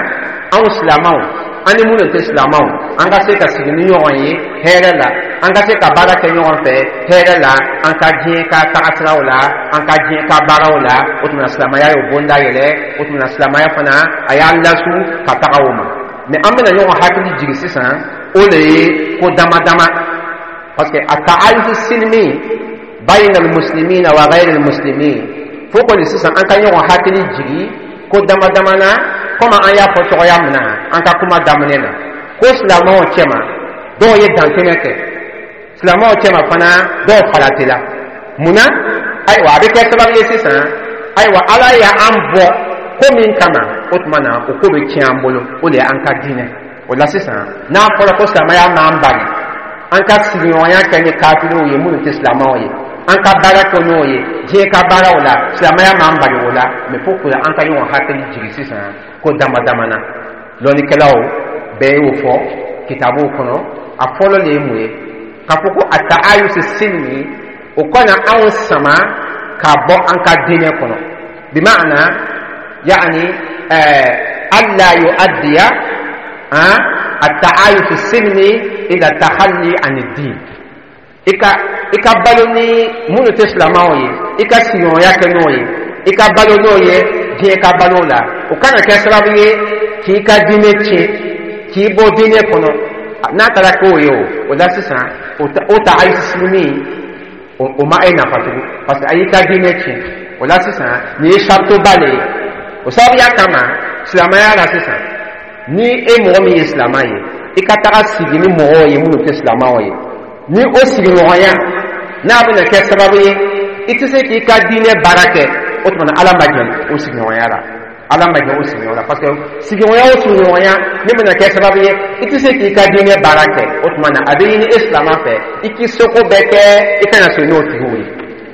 S1: anw silamɛw, an ni minnu tɛ silamɛw, an ka se ka sigi ni ɲɔgɔn ye hɛrɛ la, an ka se ka baara kɛ ɲɔgɔn fɛ hɛrɛ la, an ka diɲɛ ka tagasiraw la, an ka diɲɛ ka baaraw la. O tuma, silamɛya y'o bonda yɛlɛ. O tuma, silamɛya fana a y'an lasu ka taga o ma. Mɛ an bɛna ɲɔgɔn hakili jigin sisan, o de ye ko dama dama, parce que التعايش السلمي بين المسلمين وغير المسلمين, fo kɔni sisan an ka ɲɔgɔn hakili jigin ko dama dama na. Komi an y'a fɔ cogoya min na an ka kuma daminɛ na, ko silamɛw cɛma, dɔw ye dantɛmɛ kɛ, silamɛw cɛma fana, dɔw faratila. Munna? Ayiwa, a bɛ kɛ sababu ye sisan, ayiwa, Ala y'an bɔ ko min kama, o tuma na o ko bɛ tiɲɛ an bolo, o de ye an ka diinɛ. O la sisan, n'a fɔra ko silamɛya m'an bali an ka sigiɲɔgɔnya kɛ ni kafiriw ye minnu tɛ silamɛw ye, an ka baara kɛ n'o ye diɲɛ ka baaraw la, silamɛya m'an bali o la. Mɛ fo ko an ka ɲɔgɔn hakili jigin sisan ko dama dama na, lɔnnikɛlaw bɛɛ y'o fɔ kitabuw kɔnɔ. A fɔlɔ de ye mun ye? K'a fɔ ko التعايش السلمي, o kana anw sama ka bɔ an ka diinɛ kɔnɔ. بمعنى يعني ألا يؤدي التعايش السلمي إلى التخلي عن الدين. I ka i ka balo ni minnu tɛ silamɛw ye, i ka sigiɲɔgɔnya kɛ n'o ye, i ka balo n'o ye diɲɛ ka balo la, o kana kɛ sababu ye k'i ka diinɛ tiɲɛ, k'i bɔ diinɛ kɔnɔ. N'a taara k'o ye, o o la sisan, o التعايش السلمي o ma e nafa tugun, parce que a y'i ka diinɛ tiɲɛ. O la sisan, nin ye saritoba de ye. O sababuya kama, silamɛya la sisan, ni e mɔgɔ min ye silamɛ ye, i ka taga sigi ni mɔgɔw ye minnu tɛ silamɛw ye, ni o sigiɲɔgɔnya n'a bɛna kɛ sababu ye i tɛ se k'i ka diinɛ baara kɛ, o tuma na Ala ma jɛn o sigiɲɔgɔnya la. Ala ma jɛn o sigiɲɔgɔnya la, parce que sigiɲɔgɔnya o sigiɲɔgɔnya min bɛna kɛ sababu ye i tɛ se k'i ka diinɛ baara kɛ, o tuma na a bɛ ɲini e silamɛ fɛ i k'i seko bɛɛ kɛ i kana sɔn n'o tigiw ye.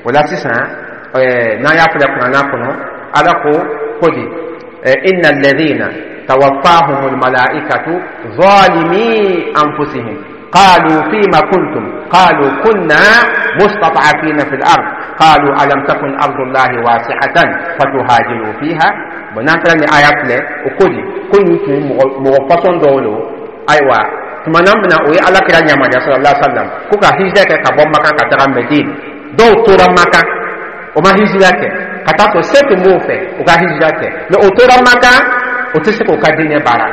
S1: O la sisan, ɛɛ n'an y'a filɛ kuranna kɔnɔ, Ala ko ko di? إن الذين توفاهم الملائكة ظالمي أنفسهم قالوا فيما كنتم قالوا كنا مستضعفين في الأرض قالوا ألم تكن أرض الله واسعة فتهاجروا فيها. N'an taara ni aya filɛ, o ko di? Ko nin tun ye mɔgɔ fasɔn dɔw lo. Ayiwa, tuma na min na o ye Ala kira yamaruya صلى الله عليه وسلم ko ka hijira kɛ ka bɔ Makan ka taga Medine, dɔw tora Makan, o ma hijira kɛ, ka taa sɔrɔ se tun b'o fɛ o ka hijira kɛ, mɛ o tora Makan, o tɛ se k'o ka diinɛ baara.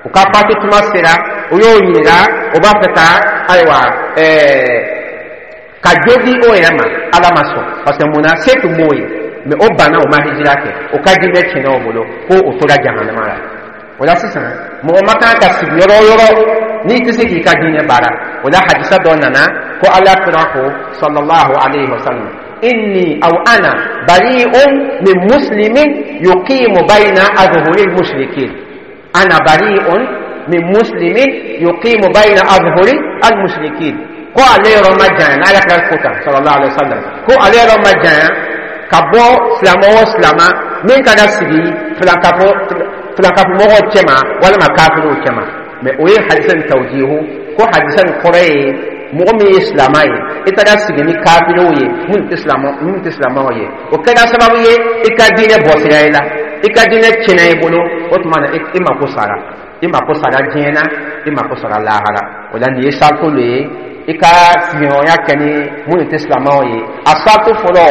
S1: U ka fatu tuma sera, o y'o ɲininka, o b'a fɛ ka, ayiwa, ɛɛ ka jo di o yɛrɛ ma, Ala ma sɔn, parce que mun na? Se tun b'o ye, mɛ o banna, o ma hijira kɛ, o ka diinɛ tiɲɛna o bolo, ko o tora jahanama la. O la sisan, mɔgɔ ma kan ka sigi yɔrɔ o yɔrɔ n'i tɛ se k'i ka diinɛ baara. O la hadisa dɔ nana ko Ala kira ko صلى الله عليه وسلم: إني أو أنا بريء من مسلم يقيم بين أظهر المشركين. أنا بريء من مسلم يقيم بين أظهر المشركين. Ko ale yɔrɔ ma janya, n'Ala kira ko tan صلى الله عليه وسلم, ko ale yɔrɔ ma janya ka bɔ silamɛ o silamɛ min ka ka sigi filankafo filankafomɔgɔw cɛma walima kafiriw cɛma. Mɛ o ye hadisa nin توجيه, ko hadisa nin kɔrɔ ye mɔgɔ min ye silamɛ ye, i taara sigi ni kafiriw ye minnu tɛ silamɛ minnu tɛ silamɛw ye, o kɛra sababu ye i ka diinɛ bɔsira i la, i ka diinɛ tiɲɛna i bolo, o tuma na i mako sara, i mako sara diɲɛ na, i mako sara lahara. O la nin ye sarito le ye i ka sigiɲɔgɔnya kɛ ni minnu tɛ silamɛw ye. A sarito fɔlɔ,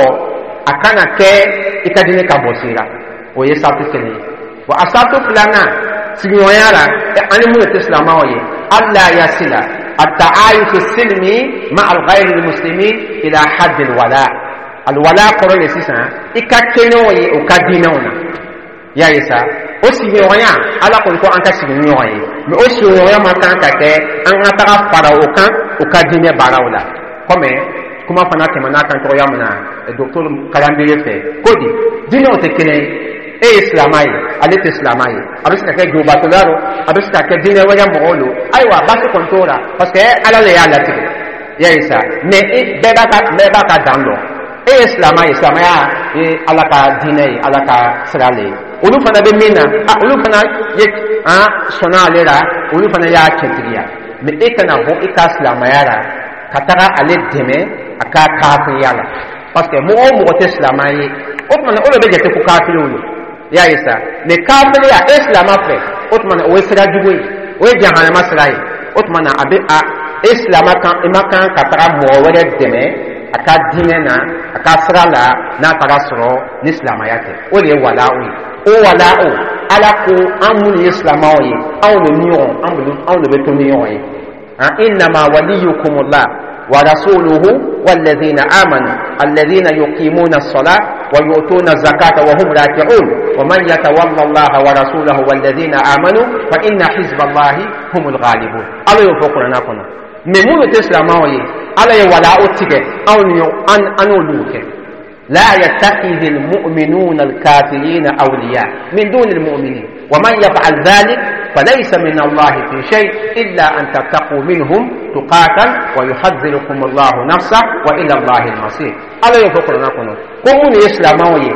S1: a kana kɛ i ka diinɛ ka bɔsi la, o ye sarito kelen ye. Wa a sarito filanan, sigiɲɔgɔnya la ani minnu tɛ silamɛw ye, ألا يصل التعايش السلمي مع الغير المسلمين إلى حد الولاء. الولاء kɔrɔ ye sisan i ka kɛ n'o ye o ka diinɛw na. Y'a ye sa, o sigiɲɔgɔnya, Ala kɔni ko an ka sigi ni ɲɔgɔn ye, mɛ o sigiɲɔgɔnya ma kan ka kɛ an ka taga fara o kan o ka diinɛ baaraw la. Komi kuma fana tɛmɛna kan cogoya min na docteur Kalanbere fɛ, ko di? Diinɛw tɛ kelen ye. E ye silamɛ ye, ale tɛ silamɛ ye, a bɛ se ka kɛ jobatɔla don, a bɛ se ka kɛ diinɛ wɛrɛ mɔgɔw don. Ayiwa, baasi kɔni t'o la, parce que Ala de y'a latigɛ. I y'a ye sa, mais e bɛɛ b'a ka bɛɛ b'a ka dan dɔn. E ye silamɛ ye, silamɛya ye Ala ka diinɛ ye, Ala ka sira le ye. Olu fana bɛ min na, a olu fana ye an sɔnna ale la, olu fana y'a cɛntigiya. Mais e kana bɔ i ka silamɛya la ka taga ale dɛmɛ a ka kafiriya la, parce que mɔgɔ o mɔgɔ tɛ silamɛ ye, o tuma na o de bɛ jate ko kafiriw don. I y'a ye sa, mais kafiriya e silamɛ fɛ, o tuma na o ye sira jugu ye, o ye jahanama sira ye. O tuma na a bɛ a e silamɛ kan, i ma kan ka taga mɔgɔ wɛrɛ dɛmɛ a ka diinɛ na, a ka sira la, n'a taara sɔrɔ ni silamɛya tɛ. O de ye wala'u ye. O wala'u, Ala ko an minnu ye silamɛw ye, anw de ni ɲɔgɔn, anw de bɛ to ni ɲɔgɔn ye. Innama waliyukumullah wa rasuluhu walladhina amanu alladhina yuqimuna as-salata wa yu'tuna az-zakata wa hum raki'un wa man yatawalla Allaha wa rasulahu walladhina amanu fa inna hizballahi humul ghalibun. Ala y'o fɔ kuranna kɔnɔ. Mais minnu tɛ silamɛw ye, Ala ye wala'u tigɛ anw ni an an n'olu kɛ. لا يتخذ المؤمنون الكافرين أولياء من دون المؤمنين ومن يفعل ذلك فليس من الله في شيء إلا أن تتقوا منهم تقاة ويحذركم الله نفسه وإلى الله المصير. Ala y'o fɔ kuranna kɔnɔ ko minnu ye silamɛw ye,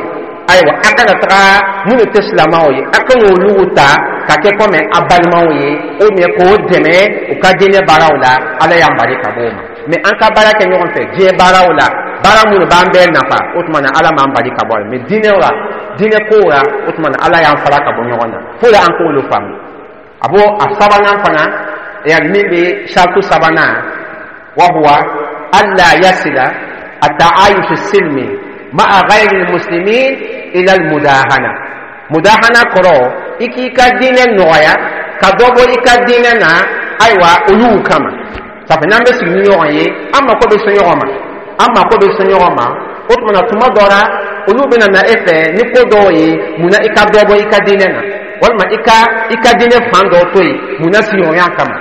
S1: ayiwa, a kana taga minnu tɛ silamɛw ye, a kana olu ta ka kɛ komi a balimaw ye, o mais k'o dɛmɛ u ka diinɛ baaraw la. Ala y'an bari ka bɔ o ma. Mais an ka baara kɛ ɲɔgɔn fɛ diɲɛ baaraw la, baara minnu b'an bɛɛ nafa, o tuma na Ala m'an bali ka bɔ a la. Mais diinɛ la, diinɛ kow la, o tuma na Ala y'an fara ka bɔ ɲɔgɔn na fo la an k'olu faamu. A b'o a sabanan fana ya, min bɛ sartu sabanan, wa huwa alla yasila at-ta'ayush as-silmi ma'a ghayri al-muslimin ila al-mudahana. Mudahana kɔrɔ, i k'i ka diinɛ nɔgɔya ka dɔ bɔ i ka diinɛ na, ayiwa, olu kama. Sabu n'an bɛ sigi ni ɲɔgɔn ye, an mako bɛ se ɲɔgɔn ma, an mako bɛ se ɲɔgɔn ma. O tuma na tuma dɔ la, olu bɛna na e fɛ ni ko dɔw ye, munna i ka dɔ bɔ i ka diinɛ na, walima i ka i ka diinɛ fan dɔ to yen, munna sigiɲɔgɔnya kama.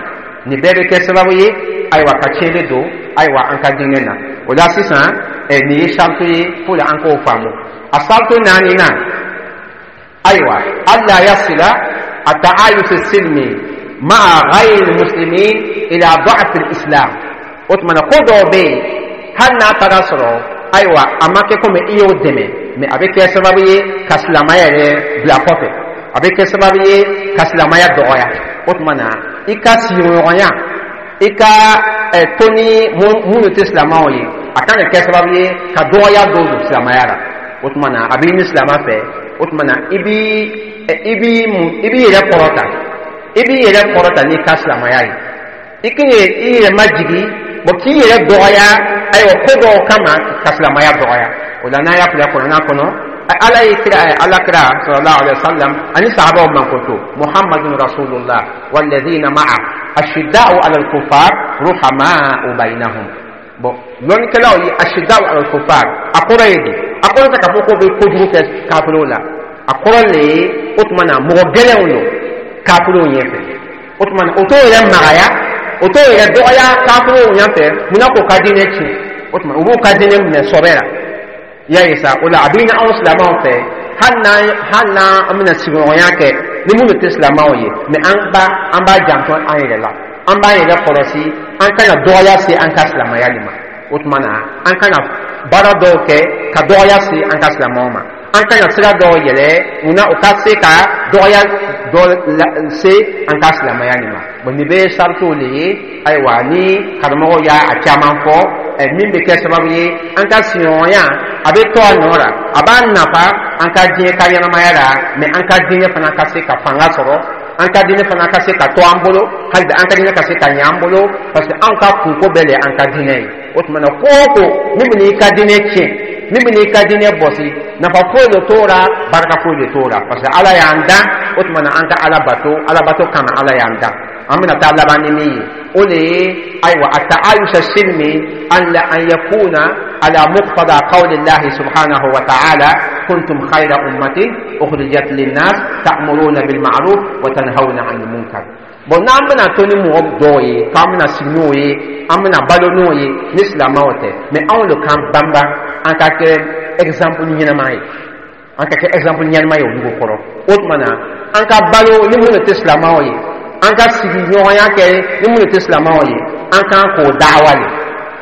S1: Nin bɛɛ bɛ kɛ sababu ye, ayiwa, ka tiɲɛni don, ayiwa, an ka diinɛ na. O la sisan, ɛ nin ye sartu ye fo la an k'o faamu. A sartu naani na, ayiwa, alla yasila at-ta'ayush as-silmi ma'a ghayri al-muslimin ila da'f al-islam. O tuma na ko dɔw bɛ yen, hali n'a taara sɔrɔ, ayiwa, a ma kɛ komi i y'o dɛmɛ, mais a bɛ kɛ sababu ye ka silamɛya yɛrɛ bila kɔfɛ, a bɛ kɛ sababu ye ka silamɛya dɔgɔya. O tuma na i ka sigiɲɔgɔnya, i ka to ni minnu tɛ silamɛw ye, a kan ka kɛ sababu ye ka dɔgɔya dɔw don silamɛya la. O tuma na a b'i ni silamɛ fɛ, o tuma na i b'i i b'i mun, i b'i yɛrɛ kɔrɔta, i b'i yɛrɛ kɔrɔta n'i ka silamɛya ye. I k'i i yɛrɛ majigi, bon, k'i yɛrɛ dɔgɔya, ayiwa, ko dɔw kama ka silamɛya dɔgɔya. O la n'a y'a filɛ kuranna kɔnɔ, Ala ye kira, Ala kira sallallahu alaihi wasallam ani sahabaw mankoto: Muhammadun rasulullah walladhina ma'a ashidda'u ala al-kuffar ruhama'u bainahum. Bon, lɔnnikɛlaw ye ashidda'u ala al-kuffar, a kɔrɔ ye di? A kɔrɔ tɛ k'a fɔ k'o bɛ kojugu kɛ kafiriw la. A kɔrɔ le ye, o tuma na mɔgɔ gɛlɛnw don kafiriw ɲɛfɛ. O tuma na o t'o yɛrɛ magaya, o t'o yɛrɛ dɔgɔya kafiriw ɲɛfɛ. Munna k'o ka diinɛ tiɲɛ? O tuma u b'u ka diinɛ minɛ sɔbɛ la. I y'a ye sa, o la a bɛ ni anw silamɛw fɛ, hali n'an hali n'an an bɛna sigiɲɔgɔnya kɛ ni minnu tɛ silamɛw ye, mais an b'a an b'a janto an yɛrɛ la, an b'an yɛrɛ kɔlɔsi, an kana dɔgɔya se an ka silamɛya de ma. O tuma na an kana baara dɔw kɛ ka dɔgɔya se an ka silamɛw ma, an kana sira dɔw yɛlɛ munna o ka se ka dɔgɔya dɔ se an ka silamɛya nin ma. Bon, nin bɛɛ ye saritiw de ye. Ayiwa, ni karamɔgɔw y'a a caman fɔ, ɛ min bɛ kɛ sababu ye an ka sigiɲɔgɔnya a bɛ to a nɔ la, a b'an nafa an ka diɲɛ ka ɲɛnamaya la, mais an ka diinɛ fana ka se ka fanga sɔrɔ, an ka diinɛ fana ka se ka to an bolo, hali bi an ka diinɛ ka se ka ɲɛ an bolo, parce que anw ka kunko bɛɛ de ye an ka diinɛ ye. O tuma na ko o ko min bɛ n'i ka diinɛ tiɲɛ, min bɛ n'i ka diinɛ bɔsi, nafa foyi de t'o la, barika foyi de t'o la, parce que Ala y'an dan. O tuma na an ka Ala bato, Ala bato kama Ala y'an dan. An bɛna taa laban ni min ye, o de ye, ayiwa, at-ta'ayush as-silmi an la an yakuna ala muqtada qawli llahi subhanahu wa ta'ala: kuntum khayra ummatin ukhrijat linnas ta'muruna bil ma'ruf wa tanhawna 'anil munkar. Bon, n'an bɛna to ni mɔgɔ dɔw ye k'an bɛna sigi n'o ye, an bɛna balo n'o ye, ni silamɛw tɛ, mais anw de k'an banba, an ka kɛ exemple ɲɛnama ye, an ka kɛ exemple ɲɛnama ye olu kɔrɔ. O tuma na an ka balo ni minnu tɛ silamɛw ye, an ka sigiɲɔgɔnya kɛ ni minnu tɛ silamɛw ye, an kan k'o dawa de.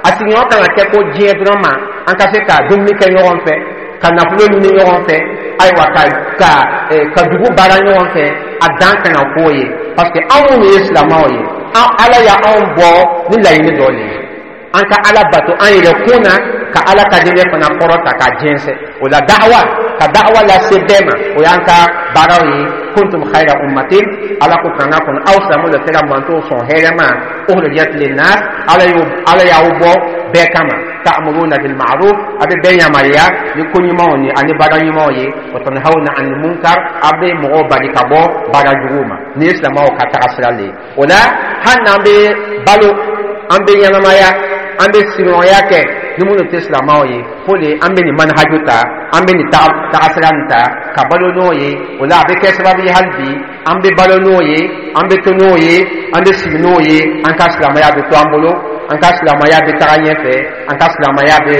S1: A sigiɲɔgɔn kan ka kɛ ko diɲɛ dɔrɔn ma, an ka se ka dumuni kɛ ɲɔgɔn fɛ, ka nafolo ɲini ɲɔgɔn fɛ, ayiwa, ka ka ka dugu baara ɲɔgɔn fɛ. A dan kana k'o ye, parce que anw minnu ye silamɛw ye, an Ala y'anw bɔ ni laɲini dɔ de ye: an ka Ala bato an yɛrɛ kun na, ka Ala ka diinɛ fana kɔrɔta ka jɛnsɛn. O la, da'awa, ka da'awa lase bɛɛ ma, o y'an ka baaraw ye. Kuntum khayra ummatin, Ala ko kanga kɔnɔ, aw silamɛw de kɛra mantow sɔn hɛrɛ ma. Ukhrijat linnas, Ala y'o Ala y'aw bɔ bɛɛ kama. Ta'muruna bil ma'ruf, a bɛ bɛɛ yamaruya ni ko ɲumanw ni ani baara ɲumanw ye. Wa tanhawna anil munkar, a bɛ mɔgɔw bali ka bɔ baara juguw ma. Ni ye silamɛw ka taga sira le ye. O la, hali n'an bɛ balo, an bɛ ɲɛnamaya, an bɛ sigiɲɔgɔnya kɛ ni minnu tɛ silamɛw ye, fo de an bɛ nin manhaju ta, an bɛ nin tagasira nin ta ka balo n'o ye. O la, a bɛ kɛ sababu ye, hali bi an bɛ balo n'o ye, an bɛ to n'o ye, an bɛ sigi n'o ye, an ka silamɛya bɛ to an bolo, an ka silamɛya bɛ taga ɲɛfɛ, an ka silamɛya bɛ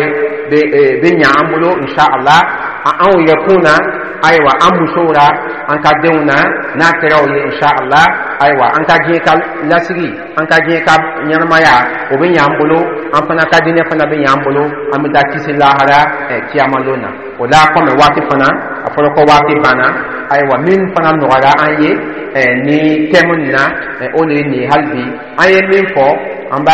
S1: bɛ bɛ ɲa an bolo, inshallah, anw yɛrɛ kun na, ayiwa, an musow la, an ka denw na. N'a kɛra o ye, inshallah, ayiwa, an ka diɲɛ ka lasigi, an ka diɲɛ ka ɲɛnamaya, o bɛ ɲɛ an bolo, an fana ka diinɛ fana bɛ ɲɛ an bolo, an bɛ taa kisi lahara kiyamalon na. O la, kɔmi waati fana a fɔra ko waati banna, ayiwa, min fana nɔgɔyara an ye ni thème nin na, o de ye nin ye. Hali bi an ye min fɔ, an b'a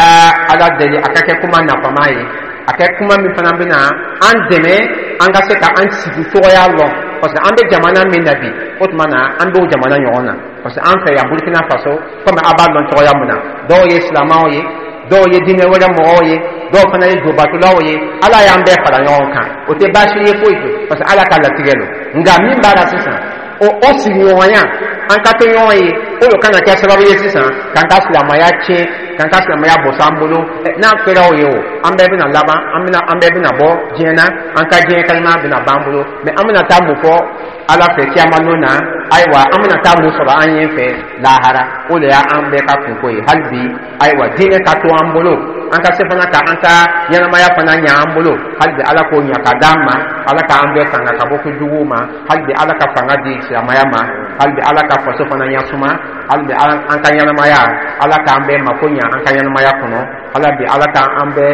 S1: Ala deli a ka kɛ kuma nafama ye, a kɛ kuma min fana bɛna an dɛmɛ an ka se ka an sigi cogoya lɔn, parce que an bɛ jamana min na bi, o tuma na an b'o jamana ɲɔgɔn na, parce que an fɛ yan Burkina Faso, komi a b'a dɔn cogoya min na, dɔw ye silamɛw ye, dɔw ye diinɛ wɛrɛ mɔgɔw ye, dɔw fana ye jobatulaw ye. Ala y'an bɛɛ fara ɲɔgɔn kan, o tɛ baasi ye foyi to, parce que Ala ka latigɛ don. Nka min b'a la sisan, o o sigiɲɔgɔnya, an ka to ɲɔgɔn ye, o de kana kɛ sababu ye sisan k'an ka silamɛya tiɲɛ, k'an ka silamɛya bɔsɔ an bolo. N'a kɛra o ye, o an bɛɛ bɛna laban, an bɛna an bɛɛ bɛna bɔ diɲɛ na, an ka diɲɛ kalima bɛna ban bolo. Mɛ an bɛna taa mun fɔ Ala fɛ kiyama don na? Ayiwa, an bɛna taa mun sɔrɔ an ɲɛ fɛ lahara? O de y'an bɛɛ ka kunko ye. Hali bi, ayiwa, diinɛ ka to an bolo, an ka se fana ka an ka ɲɛnamaya fana ɲɛ an bolo. Hali bi Ala k'o ɲɛ ka d'an ma, Ala k'an bɛɛ tanga ka bɔ kojuguw ma. Hali bi Ala ka fanga di silamɛya ma. Hali bi Ala ka faso fana ɲasuma. Hali bi an ka ɲɛnamaya, Ala k'an bɛɛ mako ɲɛ an ka ɲɛnamaya kɔnɔ. Hali bi Ala k'an bɛɛ,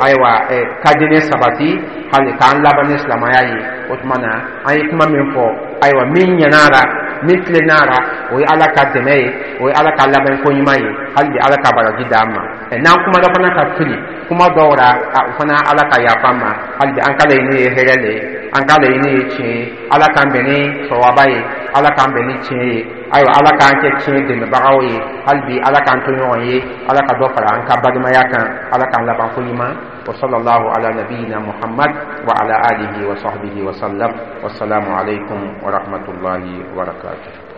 S1: ayiwa, ka diinɛ sabati, hali k'an laban ni silamɛya ye. O tuma na, an ye kuma min fɔ, ayiwa, min ɲɛna la, min tilenna la, o ye Ala ka dɛmɛ ye, o ye Ala ka labɛn ko ɲuman ye. Hali bi Ala ka baraji d'an ma. N'an kumana fana ka fili kuma dɔw la, o fana, Ala ka yafa an ma. Hali bi an ka laɲini ye hɛrɛ le ye, an ka laɲini ye tiɲɛ ye. Ala k'an bɛn ni sawaba ye, Ala k'an bɛn ni tiɲɛ ye. Ayiwa, Ala k'an kɛ tiɲɛ dɛmɛbagaw ye. Hali bi Ala k'an to ɲɔgɔn ye, Ala ka dɔ fara an ka balimaya kan, Ala k'an laban ko ɲuman. وصلى الله على نبينا محمد وعلى آله وصحبه وسلم، والسلام عليكم ورحمة الله وبركاته.